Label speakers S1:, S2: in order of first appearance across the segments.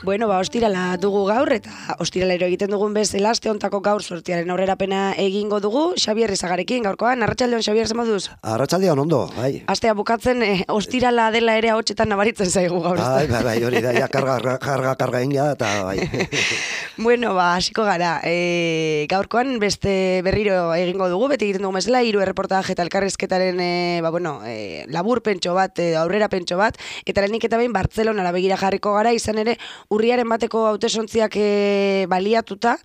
S1: Bueno, ostirala dugu gaur, eta ostiralero egiten dugun bezala, aste hontako gaur sortiaren aurrerapena egingo dugu, Xabier Izagarekin gaurkoan. Arratsaldeon, Xabier, zer moduz?
S2: Arratsaldeon, ondo, bai.
S1: Astea bukatzen, ostirala dela ere ahotsetan nabaritzen zaigu gaur.
S2: Bai, hori da, ja, karga inga, eta bai.
S1: Bueno, hasiko gara. Gaurkoan beste berriro egingo dugu, beti egiten dugu bezala, 3 erreportaje eta elkarrizketaren labur pentso bat, aurrera pentso bat, eta lehenik eta behin Bartzelonara begira jarriko gara, izan ere, urriaren bateko hautesontziak baliatuta,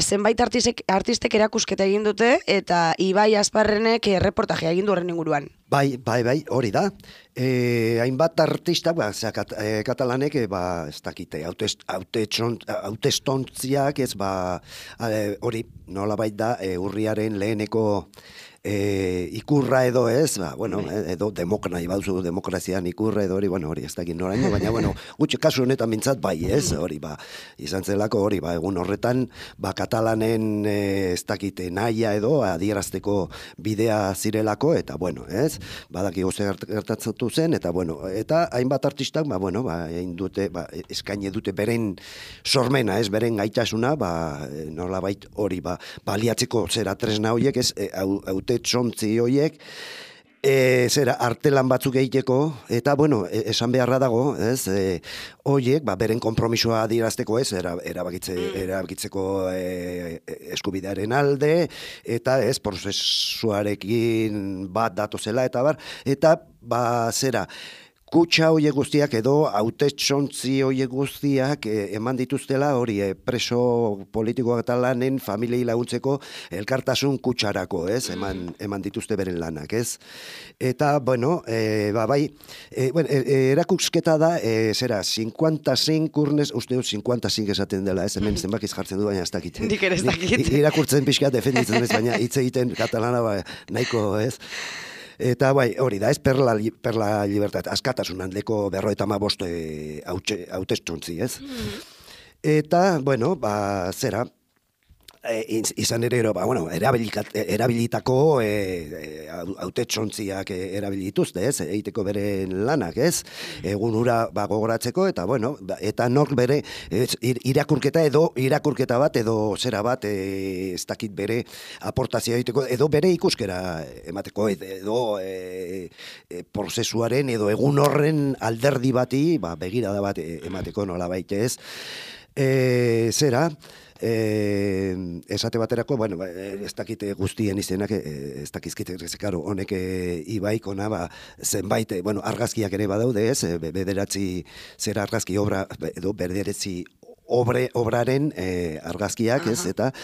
S1: zenbait artistek erakusketa egin dute, eta Ibai Asparrenek reportajea egin du horren inguruan.
S2: Bai, hori da. Hainbat artistak, katalanek, ez dakite, hautestontziak, hori, nolabait da, urriaren leheneko ikurra edo ez, edo demokrazian ikurra edo hori ez dakit noraino, baina, gutxe kasu honetan mintzat bai ez, hori, izan zelako hori, egun horretan, katalanen ez dakite nahia edo, adierazteko bidea zirelako, eta, ez, badaki goze gertatzatu zen, eta hainbat artistak, egin dute, eskaini dute beren sormena, ez, beren gaitasuna, nolabait hori, baliatzeko zera tresna horiek, ez, txontzi horiek, artelan batzuk egiteko, eta, esan beharra dago, ez, horiek, beren konpromisoa adierazteko, ez, erabakitzeko eskubidearen alde, eta, ez, prozesuarekin bat datozela, eta, kutsa horiek guztiak edo hautetsontzi horiek guztiak eman dituztela hori preso politiko katalanen familiei laguntzeko elkartasun kutsarako, ez? Eman dituzte beren lanak, ez? Eta, erakusketa da, 55 urnes, uste dut 55 esaten dela, ez? Hemen zenbakiz jartzen du, baina ez dakit.
S1: Nik ere ez dakit.
S2: Irakurtzen pixka defenditzen ez, baina hitz egiten katalana nahiko, ez? Eta hori da, ez perla libertat, askatasun handeko 55 hautestontzi, ez? Eta, izan ere, erabilitako hautetsontziak erabilituzte, ez? Egiteko beren lanak, ez? Egun hura gogoratzeko, eta nork bere irakurketa bat, edo zera bat, ez dakit bere aportazioa egiteko, edo bere ikuskera emateko, edo prozesuaren, edo egun horren alderdi bati, begirada bat emateko nola baite, ez? Esate baterako, ez dakite guztien izenak, ez dakizkite, honek Ibaik ona, zenbait, argazkiak ere badaude, ez, bederatzi zera argazki obra, edo bederatzi obraren argazkiak, ez, eta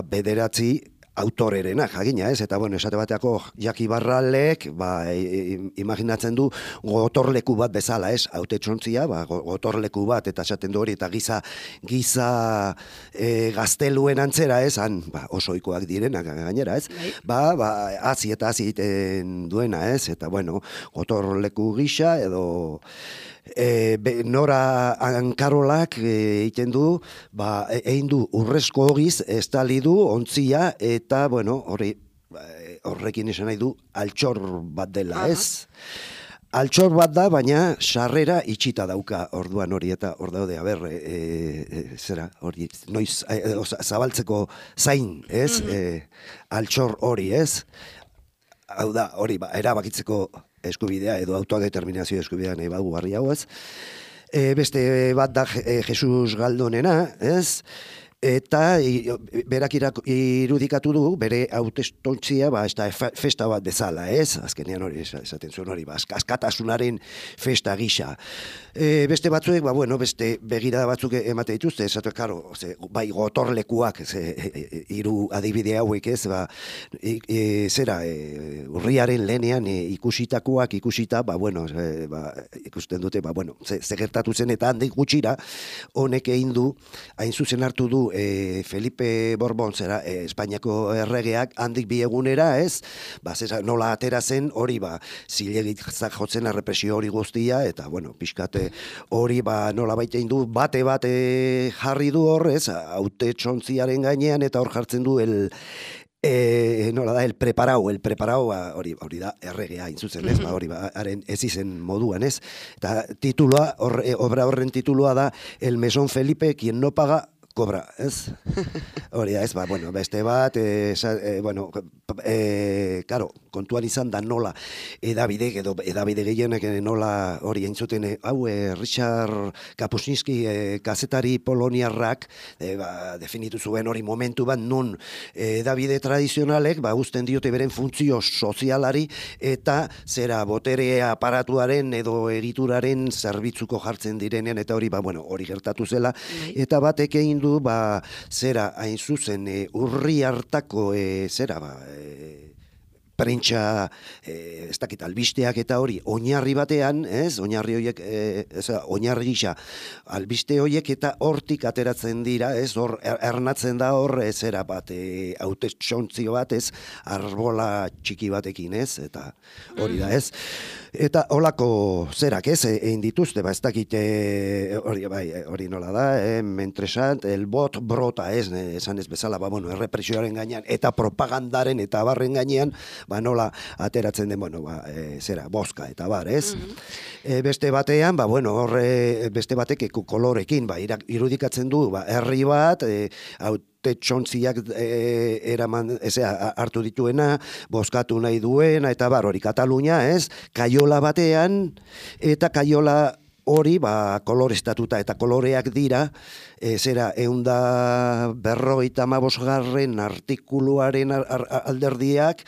S2: bederatzi autorerena, jagina, ez? Eta, esate bateako Jaki Barralek, imaginatzen du gotorleku bat bezala, ez? Hautetxontzia, gotorleku bat, eta esaten du hori, eta giza gazteluen antzera, ez? Han, osoikoak direnak gainera, ez? Hazi eta hazi egiten duena, ez? Eta, gotorleku gisa, edo Nora Ankarolak egiten du, egin du urrezko ogiz, estali du, ontzia, eta, horrekin esan nahi du, altxor bat dela, ez? Altxor bat da, baina sarrera itxita dauka orduan hori, eta hor daude, hori, noiz, zabaltzeko zain, ez? Altxor hori, ez? Hau da, hori, erabakitzeko eskubidea edo autodeterminazio eskubidea nahi bagu barri hau, ez? Beste bat da Jesus Galdonena, ez? Eta berak irudikatu du, bere hautestontzia, festa bat bezala, ez? Azkenean hori, esaten zuen hori, askatasunaren festa gisa. Beste batzuek, beste begirada batzuk emate dituzte, esatu, bai gotorlekuak, hiru adibide hauek, ez? Urriaren lehenean ikusitakoak, ikusita, ikusten dute, ze gertatu zen, eta handik gutxira, honek egin du, hain zuzen hartu du du Felipe Borbon, zera, Espainiako erregeak, handik bi egunera, ez? Zera, nola atera zen, hori, zilegizak jotzen errepresio hori guztia, eta, bueno, pixkate hori, nola baitein du, bate jarri du hor, ez? Haute txontziaren gainean, eta hor jartzen du nola da, el preparau, hori da, erregea, intzuzen, ez? Hori, haren ez izen moduan, ez? Eta titulua, obra horren titulua da, El Mesón Felipe, quien no paga, kobra, ez? Hori da, ez, bueno, beste bat, karo, kontuan izan da nola, edabide gehienek nola hori entzuten, Richard Kapuscinski, kazetari poloniarrak, definitu zuen hori momentu bat, nun edabide tradizionalek, uzten diote beren funtzio sozialari, eta zera botere aparatuaren edo egituraren zerbitzuko jartzen direnean, eta hori, hori gertatu zela, eta batek egin du, zera, hain zuzen, urri hartako, prentsa, ez dakit, albisteak eta hori, oinarri batean, ez, oinarri horiek, oinarri gisa, albiste horiek eta hortik ateratzen dira, ez, hor, ernatzen da hor, zera bat, haute txontzio bat, ez, arbola txiki batekin, ez, eta hori da, ez. Eta holako zerak, ez, egin dituzte, ez dakit, hori nola da, mentresant, el bot brota, ez, esan ez bezala, errepresioaren gainean, eta propagandaren eta barren gainean, nola ateratzen den, boska eta bar, ez? Beste batean, horre, beste batek kolorekin, irudikatzen du, herri bat, txontziak hartu dituena, bozkatu nahi duena, eta hori Katalunia, ez? Kaiola batean, eta kaiola hori, koloreztatuta, eta koloreak dira, zera, 150 artikuluaren alderdiak,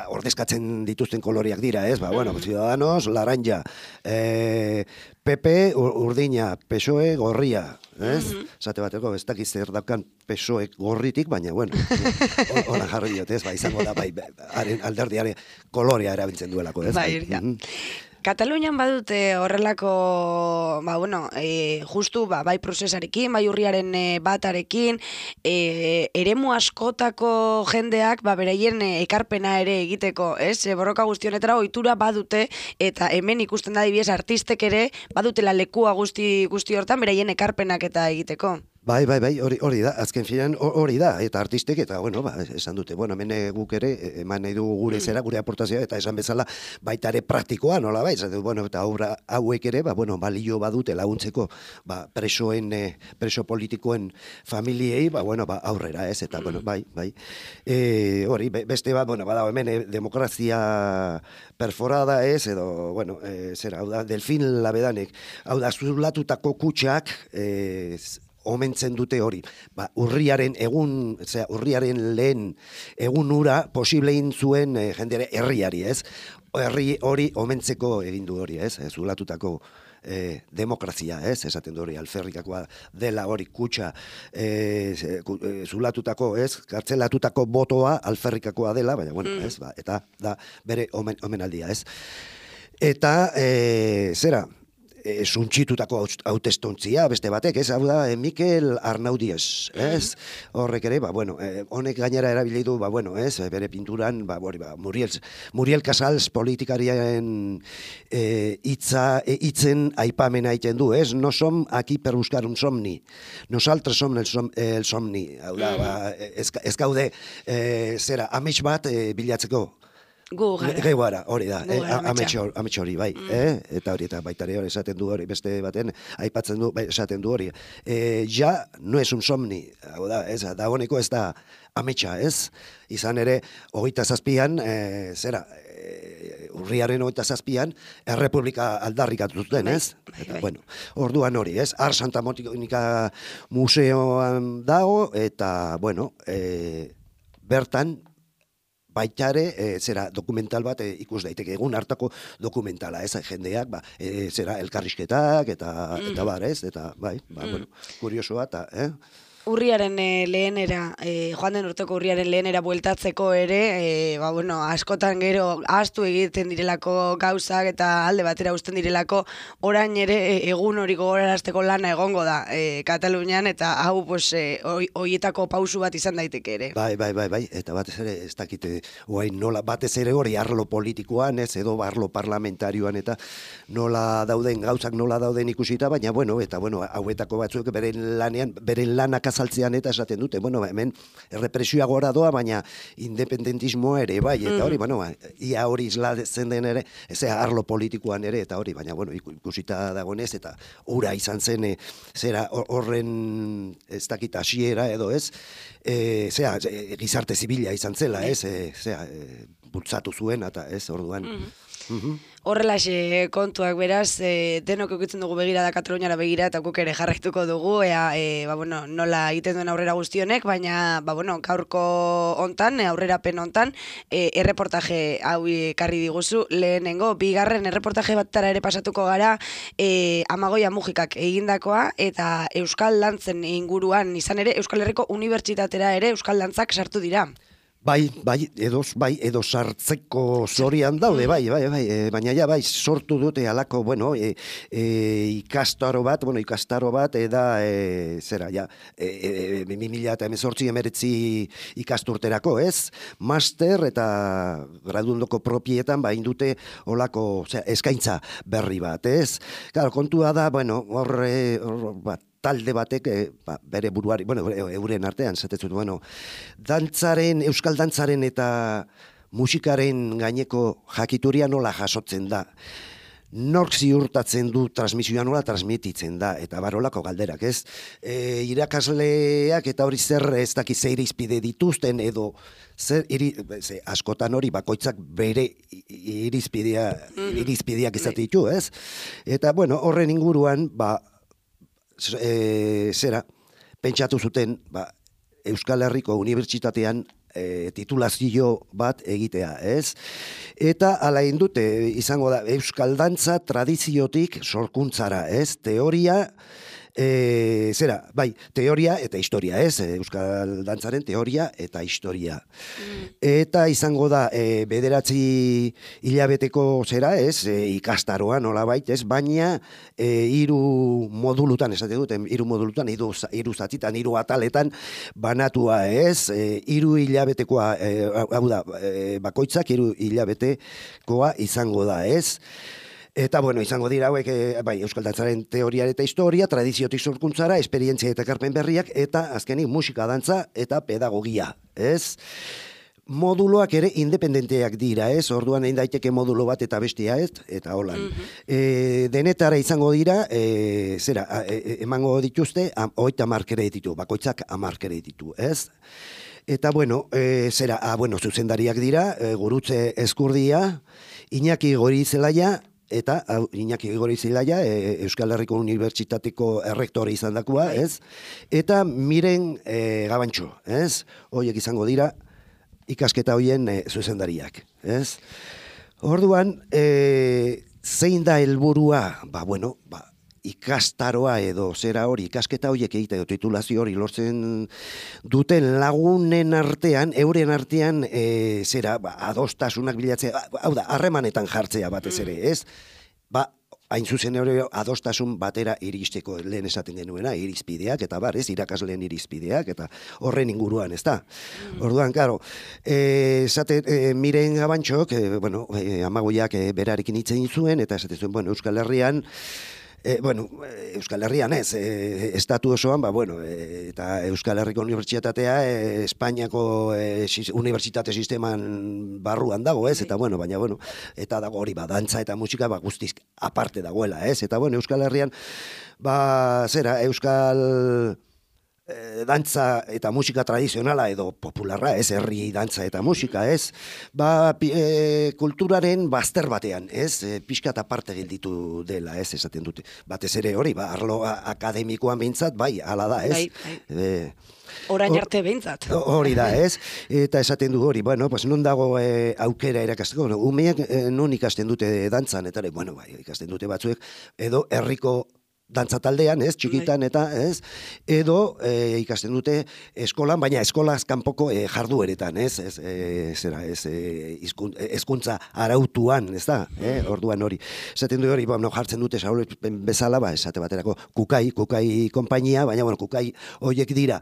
S2: ordezkatzen dituzten koloreak dira, ez? Ciudadanos, laranja, PP, urdina, PSOE, gorria, ez? Zate bateko, ez dakiz zer daukan PSOE gorritik, baina, hola jarri diot, ez? Izango da, alderdiaren kolorea erabiltzen duelako, ez?
S1: Katalunian badute horrelako, justu, bai prozesarekin, bai urriaren batarekin, eremu askotako jendeak, bereien ekarpena ere egiteko, ez? Borroka guztionetara ohitura badute, eta hemen ikusten da adibidez artistek ere, badutela lekua guzti hortan, beraien ekarpenak eta egiteko.
S2: Bai, hori da, azken finean hori da, eta artistek, eta, esan dute, hemen guk ere, eman nahi dugu gure zera, gure aportazioa, eta esan bezala baita ere praktikoa, nola bai, eta obra hauek ere, balio badute laguntzeko, preso politikoen familiei, aurrera, ez, eta, bai. Hori, beste bat, bada, hemen demokrazia perforada, ez, edo, zera, hau da, Delfin Labedanek, hau da, zulatutako kutxak, omentzen dute hori. Urriaren lehen egun ura posiblein zuen jendere herriari, ez? Herri hori omentzeko egin du hori, ez? Zulatutako demokrazia, ez? Esaten du hori, alferrikakoa dela hori kutxa zulatutako, ez? Kartzelatutako botoa alferrikakoa dela, baina, ez? Eta da bere omenaldia, ez? Eta, zera, suntxitutako hautestontzia, beste batek, ez, hau da, Mikel Arnaudies, ez, horrek ere, honek gainera erabili du, ez, bere pinturan, Muriel Casals politikariaren hitzen aipamena egiten du, ez, no som aquí per buscar un somni, nosaltres som el somni, hau da, ez gaude, zera, amets bat bilatzeko,
S1: Gu
S2: gara, hori da, amets hori, bai, eta hori, eta baita hori esaten du hori, beste baten, aipatzen du, esaten du hori, ja, no es un somni, hau da, ez, da honeko ez da ametsa, ez, izan ere, 27an, zera, urriaren 27an, errepublika aldarrikatu zuten, ez? Eta, orduan hori, ez? Ar Santa Monika museoan dago, eta, bertan, baitare, zera, dokumental bat ikus daiteke, egun hartako dokumentala, ez, jendeak, zera, elkarrizketak, eta bar, ez, eta, kuriosoa, eta,
S1: urriaren lehenera, joan den urteko urriaren lehenera bueltatzeko ere, askotan gero ahaztu egiten direlako gauzak eta alde batera uzten direlako, orain ere egun hori gogorarazteko lana egongo da Katalunian, eta hau hoietako pausu bat izan daiteke ere.
S2: Bai, eta batez ere, ez dakite, nola, batez ere hori arlo politikoan, ez, edo arlo parlamentarioan, eta nola dauden, gauzak nola dauden ikusita, baina, hauetako batzuk beren lanak azaltzean eta esaten dute, hemen errepresioa gora doa, baina independentismoa ere, bai, eta hori, ia hori islatzen den ere, arlo politikoan ere, eta hori, baina, ikusita dagoenez, eta ura izan zen, horren, ez dakit, hasiera edo ez, gizarte zibila izan zela, ez, bultzatu zuen, eta ez, orduan.
S1: Horrelaxe kontuak beraz, denok eukitzen dugu begirada Kataluniara begira eta guk ere jarraituko dugu, nola egiten duen aurrera guztionek, baina gaurko hontan, aurrerapen hontan, erreportaje hau ekarri diguzu, lehenengo, bigarren erreportaje batara ere pasatuko gara, Amagoia Mujikak egindakoa, eta Euskal Dantzen inguruan izan ere, Euskal Herriko Unibertsitatera ere Euskal Dantzak sartu dira.
S2: Bai, edo sartzeko zorian daude, baina sortu dute alako, ikastaro bat, eda, 2018 ikasturterako, ez? Master eta graduondoko propietan, indute olako eskaintza berri bat, ez? Claro, kontua da, talde batek, bere buruari, euren artean, zatetzut, Euskal dantzaren eta musikaren gaineko jakituria nola jasotzen da. Nork ziurtatzen du transmisioa nola transmititzen da, eta barolako galderak, ez? Irakasleak eta hori zer ez dakiz ze irizpide dituzten, edo askotan hori bakoitzak bere irizpideak izate ditu, ez? Eta, horren inguruan, pentsatu zuten Euskal Herriko Unibertsitatean titulazio bat egitea, ez? Eta ala indute izango da Euskal Dantza tradiziotik sorkuntzara, ez? Teoria, teoria eta historia, ez? Euskal Dantzaren teoria eta historia. Eta izango da, 9 hilabeteko ez? Ikastaroa nolabait, ez? Baina, 3 modulutan, esate dut, 3 modulutan, 3 zatitan, 3 ataletan banatua, ez? 3 hilabetekoa, hau da, bakoitzak 3 hilabetekoa izango da, ez? Eta, izango dira hauek, Euskal Dantzaren teoria eta historia, tradiziotik sorkuntzara, esperientzia eta ekarpen berriak, eta azkenik musika, dantza eta pedagogia, ez? Moduloak ere independenteak dira, ez? Orduan egin daiteke modulo bat eta bestia, ez? Eta holan. Denetara izango dira, emango dituzte, 30 kreditu, bakoitzak 10 kreditu, ez? Eta, zuzendariak dira, Gurutze Ezkurdia, Iñaki Gorizelaia, eta Iñaki Gorizelaia, Euskal Herriko Unibertsitateko errektore izan dakoa, ez? Eta Miren Gabantxo, ez? Horiek izango dira ikasketa horien zuzendariak, ez? Orduan, zein da helburua? Ikastaroa edo ikasketa horiek egitea, titulazio hori lortzen duten lagunen artean, euren artean, adostasunak bilatzea, hau da, harremanetan jartzea batez ere, ez? Hain zuzen ere adostasun batera iristeko lehen esaten genuena, irizpideak, eta ez, irakasleen irizpideak, eta horren inguruan, ez da? Orduan, karo, Miren Gabantxok, Amagoiak berarekin hitzen zuen, eta esaten zuen, Euskal Herrian, Euskal Herrian ez, estatu osoan, eta Euskal Herriko Unibertsitatea Espainiako unibertsitate sisteman barruan dago, ez, eta baina, eta dago hori, dantza eta musika, guztiz aparte dagoela, ez, eta Euskal Herrian, Euskal dantza eta musika tradizionala edo popularra, ez, herri dantza eta musika, ez, kulturaren bazter batean, ez, pixkat aparte gelditu dela, ez, esaten dute. Batez ere hori, arlo akademikoan behintzat, hala da, ez.
S1: Orain arte behintzat.
S2: Hori da, ez, eta esaten du hori, non dago aukera erakasteko, umeak non ikasten dute dantzan, eta ikasten dute batzuek, edo herriko dantza taldean, ez, txikitan eta, ez, edo ikasten dute eskolan, baina eskolaz kanpoko jardueretan, ez, hezkuntza arautuan, ez da, orduan hori. Esaten du hori, jartzen dute Saulespen bezala, esate baterako kukai konpainia, baina, kukai horiek dira,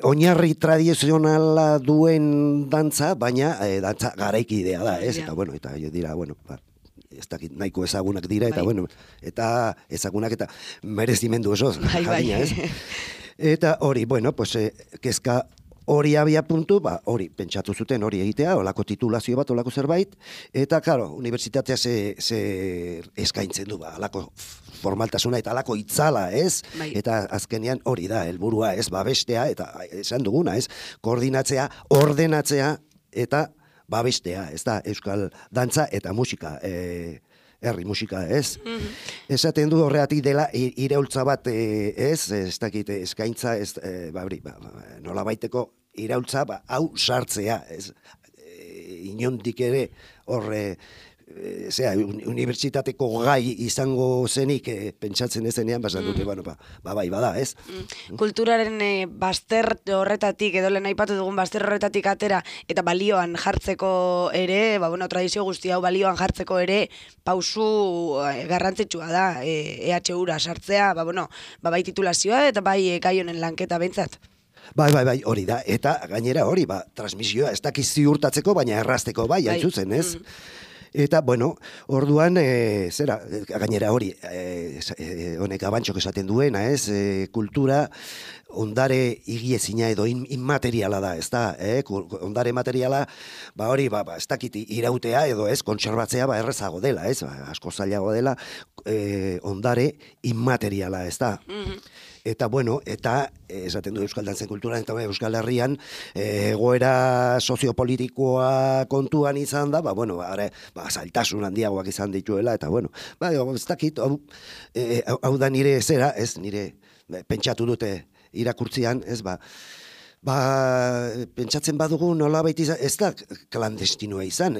S2: oinarri tradizionala duen dantza, baina dantza garaikidea da, ez, eta, eta dira, ez dakit nahiko ezagunak dira, eta eta ezagunak eta merezimendu osoz, jakina, ez? Eta hori, kezka hori abia puntu, hori, pentsatu zuten hori egitea, olako titulazio bat, olako zerbait, eta, claro, unibertsitatea ze eskaintzen du, alako formaltasuna eta alako itzala, ez? Eta azkenean hori da, helburua, ez, babestea, eta esan duguna, ez, koordinatzea, ordenatzea, eta babestea, ez da, euskal dantza eta musika, herri musika, ez? Esaten du horreatik dela iraultza bat, ez dakit eskaintza, nola baiteko iraultza, hau sartzea, ez? Inondik ere horre, unibertsitateko gai izango zenik pentsatzen ezenean, basan dute, bai, bada, ez?
S1: Kulturaren bazter horretatik, edo lehen aipatu dugun bazter horretatik atera, eta balioan jartzeko ere, tradizio guzti hau balioan jartzeko ere, pausu garrantzitsua da, EHU-ra sartzea, bai titulazioa, eta bai gai honen lanketa behintzat.
S2: Bai, hori da, eta gainera hori, transmisioa ez dakiz ziurtatzeko, baina errazteko bai, haintzuzen, ez? Eta, orduan, gainera hori, honek abantxok esaten duena, ez, kultura ondare higiezina edo inmateriala da, ez da, ondare materiala, hori, ez dakit irautea edo ez, kontserbatzea, errezago dela, ez, asko zailago dela, ondare inmateriala, ez da. Eta, eta esaten du Euskal Dantzen Kulturan eta Euskal Herrian egoera soziopolitikoa kontuan izan da, zailtasun handiagoak izan dituela, eta, ez dakit, hau da nire zera, ez, nire pentsatu dute irakurtzian, ez, pentsatzen badugu nolabait izan, ez da klandestinoa izan,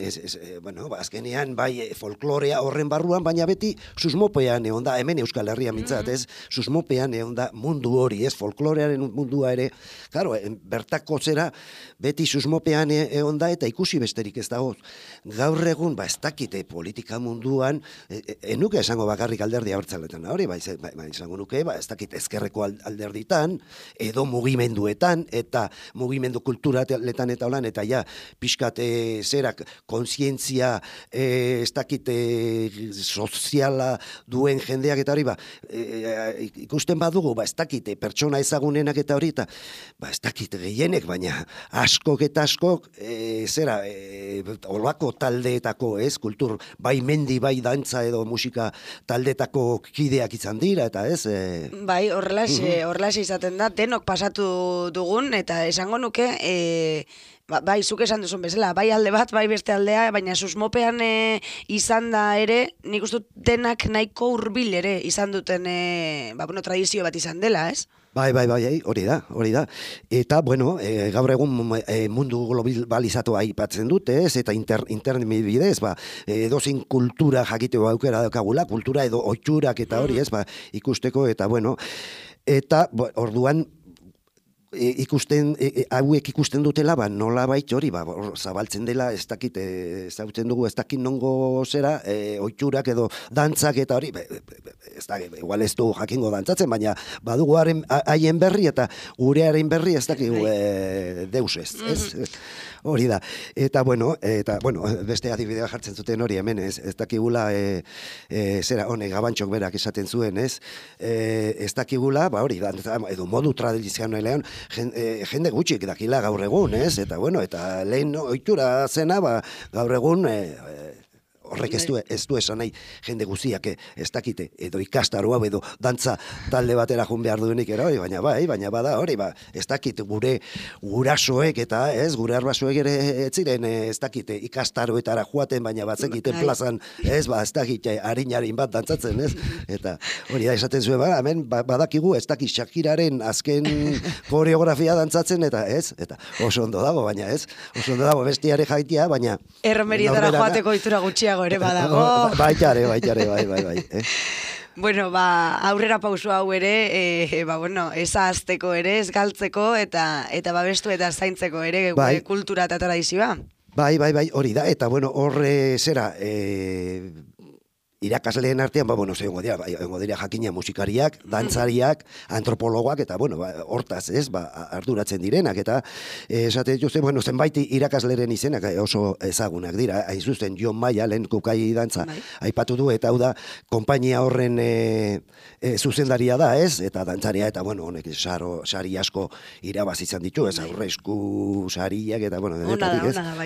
S2: azkenean bai folklorea horren barruan, baina beti susmopean egon da, hemen Euskal Herria mintzat, ez, susmopean egon da mundu hori, ez, folklorearen mundua ere, claro, bertako zera, beti susmopean egon da, eta ikusi besterik ez dago, gaur egun, ez dakite politika munduan, enuke esango bakarrik alderdi abertzaletan, hori, izango nuke, ez dakit ezkerreko alderditan, edo mugimenduetan, eta mugimendu kulturaletan eta holan, eta pixkat zerak kontzientzia ez dakit soziala duen jendeak eta hori, ikusten badugu, ez dakit pertsona ezagunenak eta hori, eta ez dakit gehienek, baina askok eta askok olako taldeetako, ez, kultur, bai mendi, bai dantza edo musika taldeetako kideak izan dira, eta ez?
S1: Bai, horrelaxe izaten da, denok pasatu dugun, eta esango nuke, bai, zuk esan duzun bezala, bai alde bat, bai beste aldea, baina susmopean izan da ere, nik uste denak nahiko hurbil ere izan duten, tradizio bat izan dela, ez?
S2: Bai, hori da. Eta, gaur egun mundu globalizatua aipatzen dute, ez, eta internet bidez, edozin kultura jakiteko aukera daukagula, kultura edo oitxurak eta hori, ez, ikusteko, eta, eta, orduan, hauek ikusten dutela, nola bait hori, zabaltzen dela, ez dakit, zautzen dugu, ez dakit nongo zera, oitxurak edo dantzak eta hori, ez da, igual ez du jakingo dantzatzen, baina badugu haien berri eta gurearen berri ez dakit deus ez? Hori da. Eta, beste adibidea jartzen zuten hori hemen, ez dakigula, zera, honek gabantxok berak esaten zuen, ez? Ez dakigula, hori, edo modu tradizionalean, jende gutxik dakila gaur egun, ez? Eta, eta lehen ohitura zena, gaur egun, horrek ez du esan nahi jende guziak ez dakite, edo ikastaro hau edo dantza talde batera joan behar duenik baina bada hori, ez dakit gure gurasoek eta ez, gure arbasoek ere ez ziren ez dakite ikastaroetara joaten, baina batzekiten plazan, ez dakit harin bat dantzatzen, ez? Eta hori da esaten zuen, hemen badakigu ez dakit Shakiraren azken koreografia dantzatzen, eta ez? Eta oso ondo dago, baina ez? Oso ondo dago bestiare jaitia, baina
S1: erromerietara joateko itura gutxiago ere badago.
S2: Baitare, bai.
S1: Bueno, aurrera pauso hau ere, bueno, ez ahazteko ere, ez galtzeko, eta babestu eta zaintzeko ere gure kultura eta tradizioa.
S2: Bai, hori da, eta bueno, horre zera, irakasleen artean, bueno, egongo dira jakina musikariak, dantzariak, antropologoak, eta bueno, hortaz, ez, arduratzen direnak, eta esate dituzte, bueno, zenbait irakasleren izenak oso ezagunak dira, hain zuzen Jon Maia, lehen kukai dantza, aipatu du, eta hau da, konpainia horren zuzendaria da, ez, eta dantzaria, eta bueno, honek sari asko irabaz izan ditu, ez, aurresku sariak, eta bueno,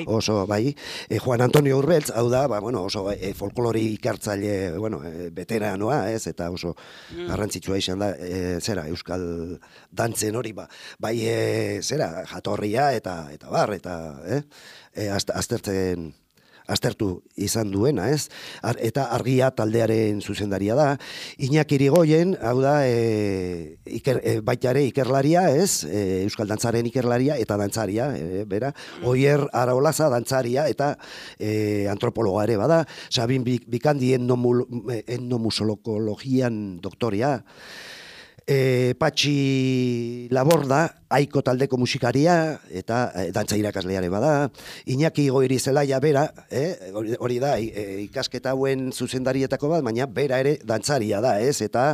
S2: oso, bai, Juan Antonio Urbeltz, hau da, bueno, oso folklori ikartzaile bueno, veteranoa, ez, eta oso garrantzitsua izan da, zera, euskal dantzen hori, bai, zera, jatorria, eta bar, eta, aztertu izan duena, ez? Eta Argia taldearen zuzendaria da. Iñaki Irigoyen, hau da, baita ere ikerlaria, ez? Euskal dantzaren ikerlaria eta dantzaria, bera. Oier Araolaza dantzaria eta antropologa ere bada. Sabin Bikandi etnomusologologian doktoria. Patxi Laborda, Aiko taldeko musikaria, eta dantza irakasleare bada. Iñaki Goiri Zelaia bera, hori da, ikasketa hauen zuzendarietako bat, baina bera ere dantzaria da, ez? Eta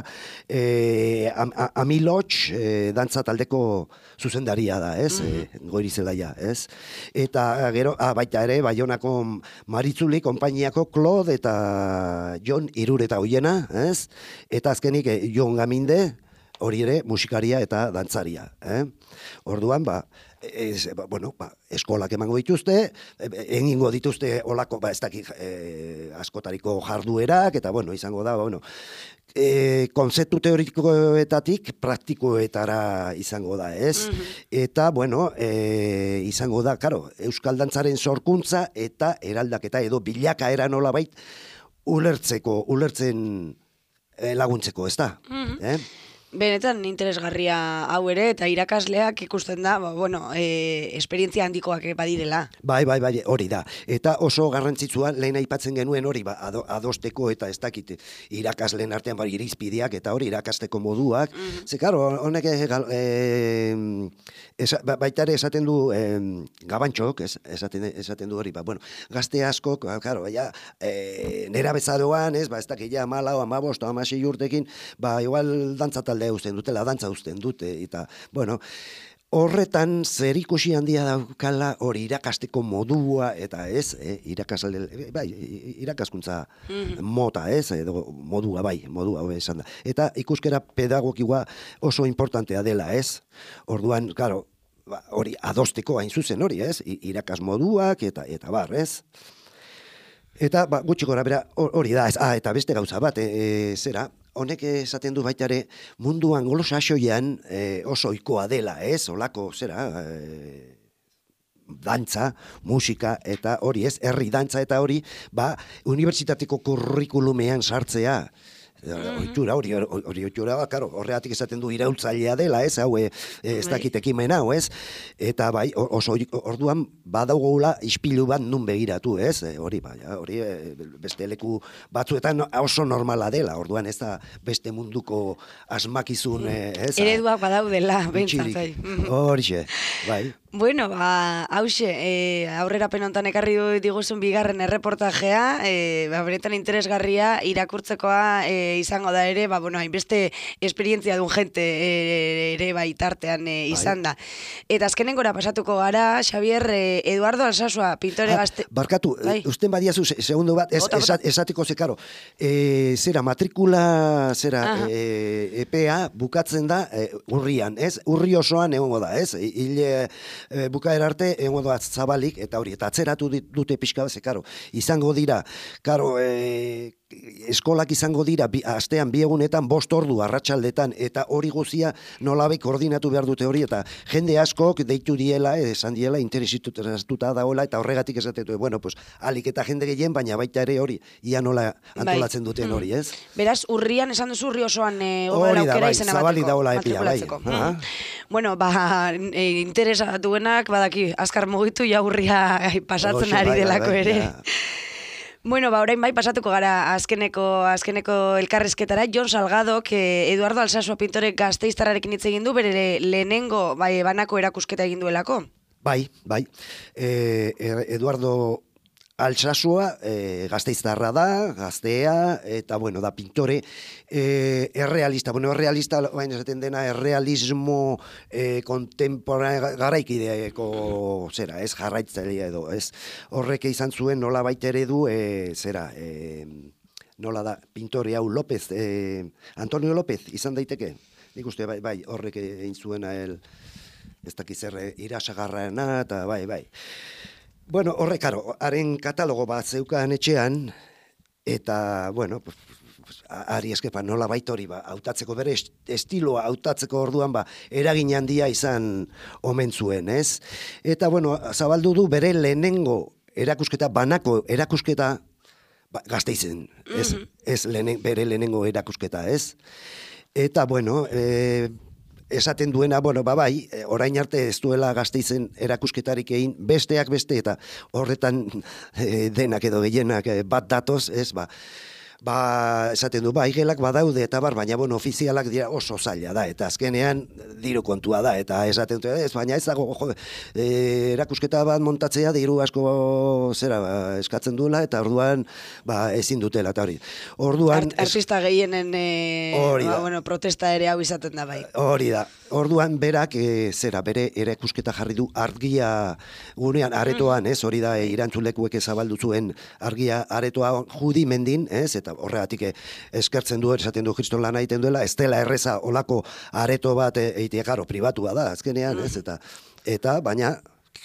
S2: Amilotx dantza taldeko zuzendaria da, ez? Goiri Zelaia, ez? Eta gero, baita ere, Baionako Maritzuli, konpainiako Claude eta Jon Irureta Oiena, ez? Eta azkenik Jon Gaminde, hori ere musikaria eta dantzaria. Orduan, eskolak emango dituzte, egingo dituzte olako, ez dakit, askotariko jarduerak, eta izango da, konzeptu teorikoetatik praktikoetara izango da, ez? Eta, izango da, karo, euskal dantzaren sorkuntza eta eraldaketa edo bilakaera nolabait ulertzen laguntzeko, ez da?
S1: Benetan interesgarria hau ere, eta irakasleak ikusten da, esperientzia handikoak badirela.
S2: Bai, hori da. Eta oso garrantzitsua, lehen aipatzen genuen hori, adosteko eta ez dakit irakasleen artean irizpideak eta hori irakasteko moduak. Ze, karo, honek baita ere esaten du Gabantxok, esaten du hori, gazte askok, karo, nera bezaroan, ez dakit, 14, 15, 16 urtekin, igual dantza talde uzten dute, dantza uzten dute, eta, horretan zerikusi handia daukala hori irakasteko modua, eta ez, irakaskuntza mota, ez, edo modua, esan da. Eta ikuskera pedagogikoa oso importantea dela, ez? Orduan, claro, hori adosteko hain zuzen hori, ez? Irakas moduak, eta bar, ez? Eta, gutxi gora bera, hori da, eta beste gauza bat, zera, honek esaten du baita ere munduan anglosaxoian oso ohikoa dela, ez? Olako, zera, dantza, musika, eta hori, ez? Herri dantza eta hori, unibertsitateko kurrikulumean sartzea. Oitura, hori oitura, horregatik esaten du iraultzailea dela, ez, hau, ez dakit ekimen hau, ez, eta oso orduan badaugula ispilu bat nun begiratu, ez, hori beste leku batzuetan oso normala dela, orduan ez da beste munduko asmakizun, ez.
S1: Ereduak badaudela, bentsat,
S2: horixe, bai.
S1: Bueno, hause, aurrera penontan ekarri diguzun bigarren erreportajea, benetan interesgarria, irakurtzekoa izango da ere, hainbeste esperientzia duen jente ere tartean izan da. Eta azkenengora pasatuko gara, Xavier, Eduardo Alsasua, pintore gazte...
S2: Barkatu, usten badiazu, segundo bat, esatiko zekaro, zera, matrikula, EPA bukatzen da urrian, ez? Urri osoan egongo da, ez? Hile bukaera arte egongo da zabalik, eta hori, eta atzeratu dute pixka bat, zekaro, izango dira, karo, eskolak izango dira astean 2 egunetan 5 ordu arratsaldetan, eta hori guzia nolabait koordinatu behar dute hori, eta jende askok deitu diela, esan diela interesituta dagoela, eta horregatik esatetu, alik eta jende gehien, baina baita ere hori, ia nola antolatzen duten hori, ez?
S1: Beraz, urrian esan duzu urri osoan
S2: hori da, zabalik dagoela epia, bai.
S1: Bueno, interesatuenak, badaki, azkar mugitu, ja urria pasatzen ari delako ere. Bueno, orain bai pasatuko gara azkeneko elkarrizketara. Jon Salgadok Eduardo Alsasua pintore gasteiztarrarekin hitz egin du, bere lehenengo banako erakusketa egin duelako.
S2: Bai. Eduardo Alsasua gasteiztarra da, gaztea, eta bueno, da pintore errealista. Bueno, errealista, baina esaten dena, errealismo garaikideeko zera, ez jarraitzailea edo, ez horrek izan zuen nola baita eredu, nola da, pintore hau López, Antonio López, izan daiteke? Nik uste, bai, horrek egin zuena ez dakiz irasagarrana, eta bai. Bueno, horrek, karo, haren katalogo bat zeukan etxean, eta, bueno, ari eskepa nola baita hori, hautatzeko bere estiloa hautatzeko orduan, eragin handia izan omen zuen, ez? Eta, bueno, zabaldu du bere lehenengo erakusketa, banako erakusketa, Gasteizen, ez bere lehenengo erakusketa, ez? Eta, bueno, esaten duena, bueno, bai, orain arte ez duela Gasteizen erakusketarik egin, besteak beste, eta horretan denak edo gehienak bat datoz, ez, esaten du, igelak badaude eta baina, bueno, ofizialak dira oso zaila da, eta azkenean diru kontua da, eta esaten du, baina ez dago, erakusketa bat montatzea diru asko eskatzen duela, eta orduan, ezin dutela, eta hori. Orduan...
S1: Artista gehienen, protesta ere hau izaten da, bai.
S2: Hori da. Orduan, berak, bere erakusketa jarri du argia gunean, aretoan, ez, hori da, irantzulekuek zabaldu zuen argia aretoa judimendin, ez, eta horregatik eskertzen du, esaten du kriston lana egiten duela, ez dela erreza olako areto bat eitea, karo, pribatua da, azkenean, ez, eta baina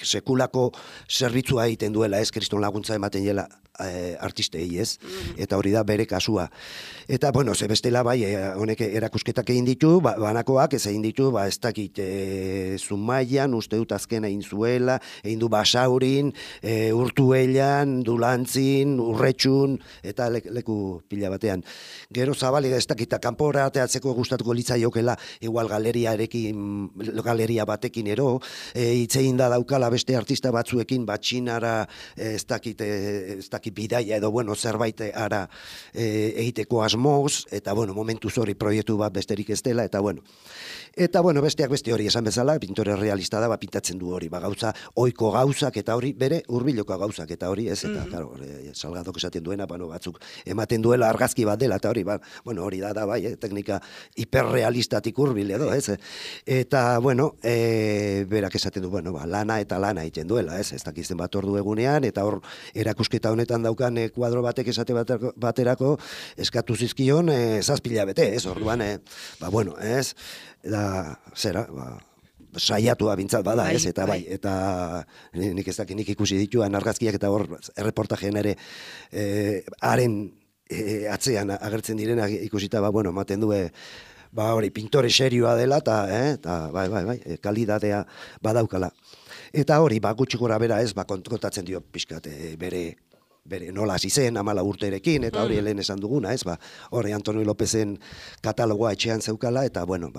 S2: sekulako zerbitzua egiten duela, ez, kriston laguntza ematen dela artistei, ez, eta hori da bere kasua. Eta, bueno, ze bestela bai, honek erakusketak egin ditu, banakoak ez egin ditu, ez dakit Zumaian, uste dut azken egin zuela, egin du Basaurin, Urtuellan, Dulantzin, Urretxun, eta leku pila batean. Gero zabali da ez dakit, kanpora ateatzeko gustatuko litzaiokela, igual galeria batekin ero, hitzein da daukala beste artista batzuekin, Txinara, ez dakit bidaia edo, bueno, zerbait ara egiteko asmoz, eta, bueno, momentu hori proiektu bat besterik ez dela, eta, bueno, besteak beste hori esan bezala, pintore realista da, pintatzen du hori, gauza, oiko gauzak, eta hori, bere urbiloko gauzak, eta hori, ez, eta, claro, Salgadok esaten duena, batzuk ematen duela argazki bat dela, eta hori, bueno, hori da, bai, teknika hiperrealistatik urbil edo, ez, eta, bueno, berak esaten du, bueno, lana egiten duela, ez dakizten bat ordu egunean, eta hor, erakusketa honetan daukan kuadro batek esate baterako eskatu zizkion 7 hilabete, ez, orduan, bueno, ez, da, saiatua bintzat bada, ez, eta bai, eta nik ez dakit, nik ikusi dituan argazkiak eta hor erreportajean ere haren atzean agertzen direna ikusita, bueno, ematen du, hori, pintore serioa dela, eta bai, kalidadea badaukala. Eta hori, gutxi gora bera ez, kontatzen dio pixkat bere nola hasi zen, 14 urterekin, eta hori helen esan duguna, ez, hori Antonio Lópezen katalogoa etxean zeukala, eta, bueno,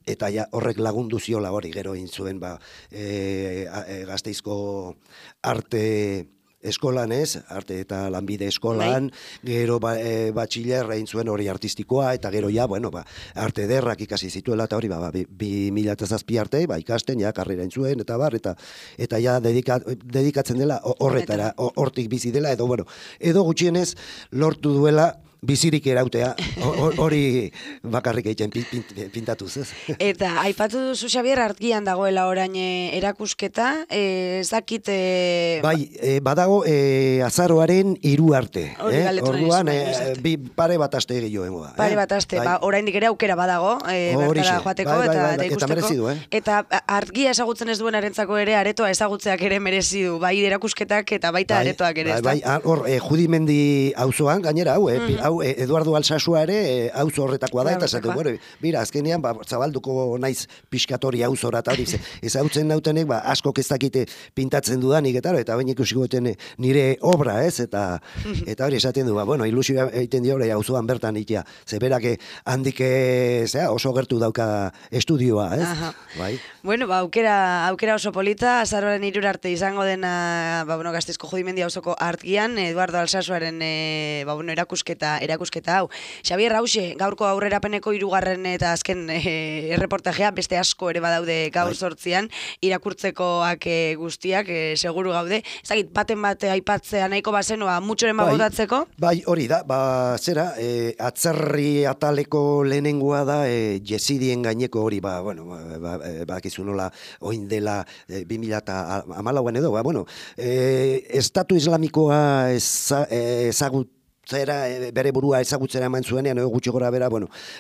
S2: eta ja horrek lagundu ziola hori, gero egin zuen, Gasteizko arte eskolan, ez, arte eta lanbide eskolan, gero batxiller egin zuen hori artistikoa, eta gero ja, bueno, arte ederrak ikasi zituela, eta hori, 2007 arte, ikasten, ja, karrera egin zuen, eta ja, dedikatzen dela horretara, hortik bizi dela, edo gutxienez lortu duela bizirik erautea, hori bakarrik egiten pintatuz, ez?
S1: Eta, aipatu duzu, Xabier, argian dagoela orain erakusketa, ez dakit...
S2: badago azaroaren 3 arte.
S1: Orduan,
S2: pare bat aste gehiago.
S1: Pare bat aste, oraindik ere aukera badago, bertara joateko eta ikusteko. Eta argia ezagutzen ez duen arentzako ere, aretoa ezagutzeak ere merezi du, bai erakusketak eta baita aretoak ere, ez da?
S2: Hor, Judimendi auzoan, gainera, hau hau Eduardo Alsasua ere auzo horretakoa da, eta esaten,
S1: Horretakoa.
S2: bueno, mira, azkenean, zabalduko naiz pixkatori auzora, eta hori, ezagutzen nautenek, askok ez dakite pintatzen dudanik, eta baina ikusiko nire obra, ez, eta hori esaten du, bueno, ilusioa egiten dio hori auzoan bertan itea, zeberak handik oso gertu dauka estudioa, ez? Bai.
S1: Bueno, aukera oso polita, azaroaren 3 arte izango dena, Gasteizko Judimendi auzoko artgian, Eduardo Alsasuaren erakusketa hau. Xabier, hauxe, gaurko aurrerapeneko 3. eta azken erreportajea, beste asko ere badaude gaur 8an, irakurtzekoak guztiak, seguru gaude. Ezagit, baten bate aipatzea nahiko bazenoa, mutxoren bagotatzeko?
S2: Bai, hori da, zera, atzerri ataleko lehenengoa da, jesidien gaineko hori, bakizu nola, oin dela 2014an edo, Estatu Islamikoa bere burua ezagutzera eman zuenean, gutxi gora bera,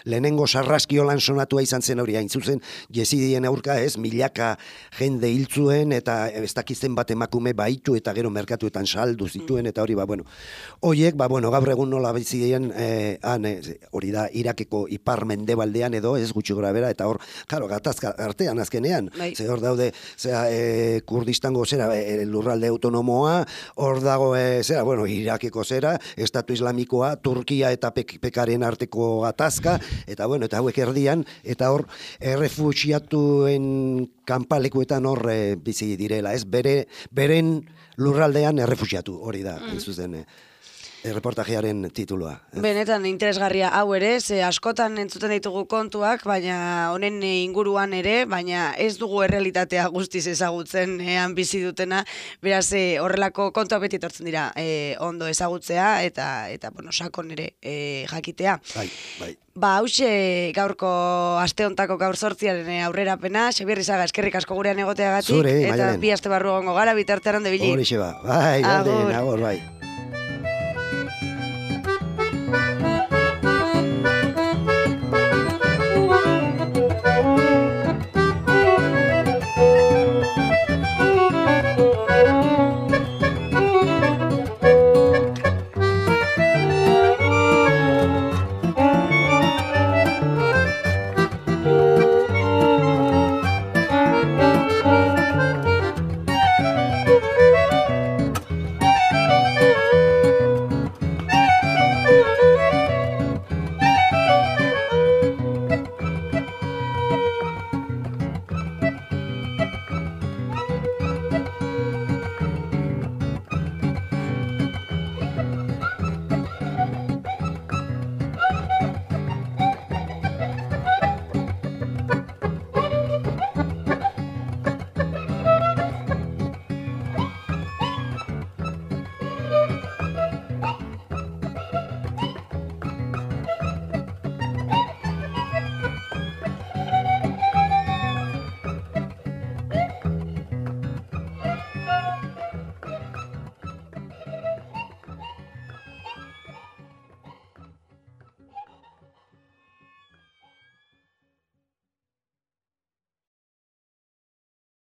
S2: lehenengo sarraskiolan sonatua izan zen hori, hain zuzen, jesidien aurka milaka jende hiltzuen, eta ez dakizten bat emakume baitu, eta gero merkatuetan saldu zituen, eta hori, horiek, gaur egun nola bizien, hori da, Irakeko ipar mendebaldean edo, ez gutxi gora bera, eta hor, karo, gatazka artean azkenean, ze hor daude, Kurdistango lurralde autonomoa, hor dago, Irakeko Estatu Islamikoa, Turkia eta Pekaren arteko gatazka, eta hauek erdian, eta hor, errefuxiatuen kanpalekuetan hor bizi direla, ez? Beren lurraldean errefuxiatu, hori da, zuzen, reportajearen titulua.
S1: Benetan interesgarria hau ere, ze askotan entzuten ditugu kontuak, baina honen inguruan ere, baina ez dugu errealitatea guztiz ezagutzen bizi dutena, beraz horrelako kontuak beti etortzen dira ondo ezagutzea, eta sakon ere jakitea.
S2: Bai.
S1: Hauxe gaurko aste hontako gaur 8aren aurrerapena, Xabier Izaga, eskerrik asko gurean egoteagatik, eta bi aste barru egongo gara, bitartean ondo ibili.
S2: Horixe ba, bai, agur, bai.